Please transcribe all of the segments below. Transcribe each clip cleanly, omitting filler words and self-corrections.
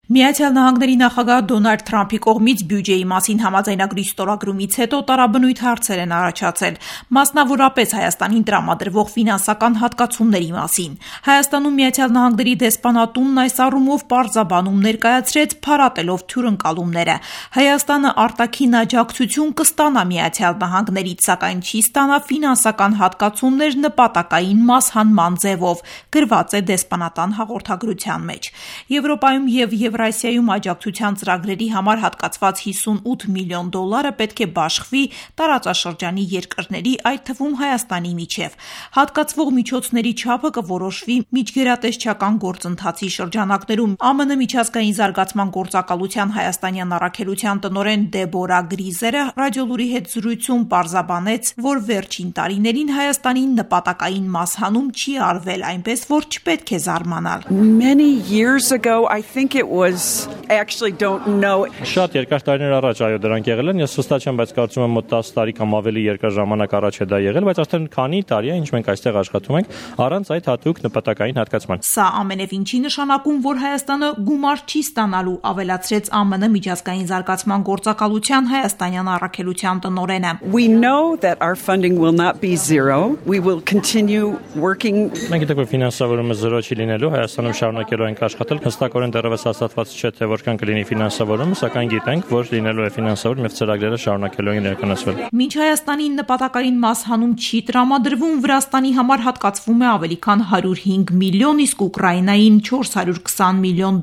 Միացյալ Նահանգների նախագահ Դոնալդ Թրամփի կողմից բյուջեի մասին համաձայնագրի ստորագրումից հետո տարաբնույթ հարցեր են առաջացել, մասնավորապես Հայաստանին տրամադրվող ֆինանսական հատկացումների մասին։ Հայաստանում Միացյալ Նահանգների դեսպանատունն այս առումով պարզաբանում ներկայացրեց, փառատելով թյուրընկալումները։ Հայաստանը արտաքին աջակցություն կստանա Միացյալ Նահանգներից, սակայն չի ստանա ֆինանսական հատկացումներ նպատակային մաս հանման ձևով, գրված է դեսպանատան հաղորդագրության մեջ։ Եվրոպայում և Եվրասիայում աջակցության ծրագրերի համար հատկացված $58 միլիոն պետք է բաշխվի տարածաշրջանի երկրների, այդ թվում Հայաստանի միջև։ Հատկացվող միջոցների չափը կորոշվի միջգերատեսչական գործընթացի շրջանակներում։ ԱՄՆ միջազգային զարգացման գործակալության հայաստանյան առաքելության տնօրեն Դեբորա Գրիզերը ռադիոլուրի հետ զրույցում պարզաբանեց, որ վերջին տարիներին Հայաստանին նպատակային մաս հանում չի արվել, այնպես որ չպետք է զարմանալ։ Many years ago, I think it was, I actually don't know. Շատ երկար տարիներ առաջ այո դրանք եղել են, ես հստակ չեմ, բայց կարծում եմ մոտ 10 տարի կամ ավելի երկար ժամանակ առաջ է դա եղել, բայց արդեն քանի տարի է, ինչ մենք այստեղ աշխատում ենք, առանց այդ հատուկ նպատակային հատկացման։ Սա ամենևին չի նշանակում, որ Հայաստանը գումար չի ստանալու, ավելացրեց ԱՄՆ միջազգային զարգացման գործակալության հայաստանյան առաքելության տնօրենը։ We know that our funding will not be zero. We will continue working. Մենք գիտենք, որ ֆինանսավորումը 0 չի լինելու, Հայաստանում շարունակելու ենք աշխատել, հստակորեն դեռևս հաստատված չէ, թե որքան կլինի ֆինանսավորումը, սակայն գիտենք, որ լինելու է ֆինանսավորում եւ ծրագրերը շարունակելու են իրականացվել։ Մինչ Հայաստանին նպատակային մաս հանում չի տրամադրվում, Վրաստանի համար հատկացվում է ավելի քան $105 միլիոն, իսկ Ուկրաինային $420 միլիոն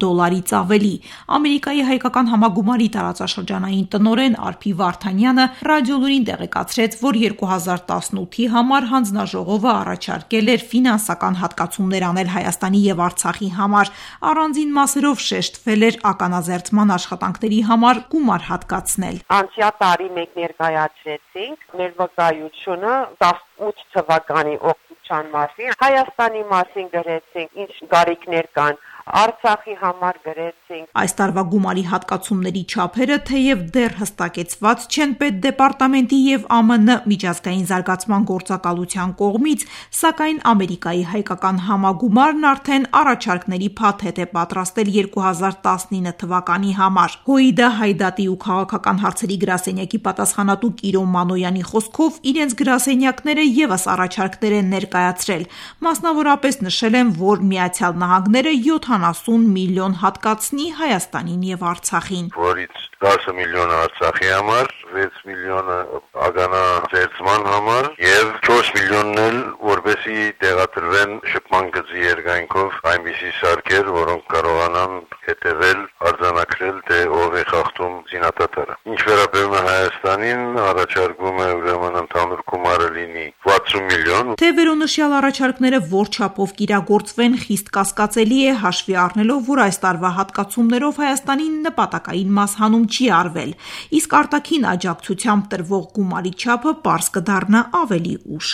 ավելի։ Ամերիկայի հայկական համագումարի տարածաշրջանային տնօրեն Արփի Վարդանյանը ռադիոլուրին տեղեկացրեց, որ 2018-ի համար հանձնաժողովը առաջարկել էր ֆինանսական հատկացումներ անել Հայաստանի եւ Արցախի համար, առանձին մասերով շեշտվել էր ականազերծման աշխատանքների համար գումար հատկացնել։ Անցյալ տարի մենք ներկայացրեցինք մեր վկայությունը 18 թվականի օգոստոսյան մասին, Հայաստանի մասին գրեցինք, ինչ գարիքներ կան, Արցախի համար գրեցինք։ Այս տարվա գումարի հատկացումների չափերը թեև դեռ հստակեցված չեն Պետդեպարտամենտի եւ ԱՄՆ միջազգային զարգացման գործակալության կողմից, սակայն Ամերիկայի հայկական համագումարն արդեն առաջարկների փաթեթ է պատրաստել 2019 թվականի համար։ ՀՅԴ Հայդատի ու քաղաքական հարցերի գրասենյակի պատասխանատու Կիրո Մանոյանի խոսքով իրենց գրասենյակները եւս առաջարկներ են ներկայացրել։ Մասնավորապես նշել են, որ Միացյալ Նահանգները 70 միլիոն հատկացնի Հայաստանին եւ Արցախին։ Որից 10 միլիոնը Արցախի համար, 6 միլիոնը ագանա ծերծման համար եւ 4 միլիոնն էլ որպեսի տեղադրվեն շփման գծի երկայնքով այնպիսի սարքեր, որոնք կարողանան հետևել, արձանագրել, թե ով է խախտում զինատատարը։ Ինչ վերաբերում է Հայաստանին, առաջարկում է ուրեմն ընդհանուր գումարը լինի 60 միլիոն։ Թե վերոնշյալ առաջարկները որ չափով կիրագործվեն, խիստ կասկածելի է հաշվի առնելով, որ այս տարվա հատկացումներով Հայաստանին նպատակային մաս հանում չի արվել, իսկ արտաքին աջակցությամբ տրվող գումարի չափը պարզ կդառնա ավելի ուշ։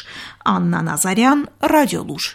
Աննա Նազարյան, Ռադիոլուր։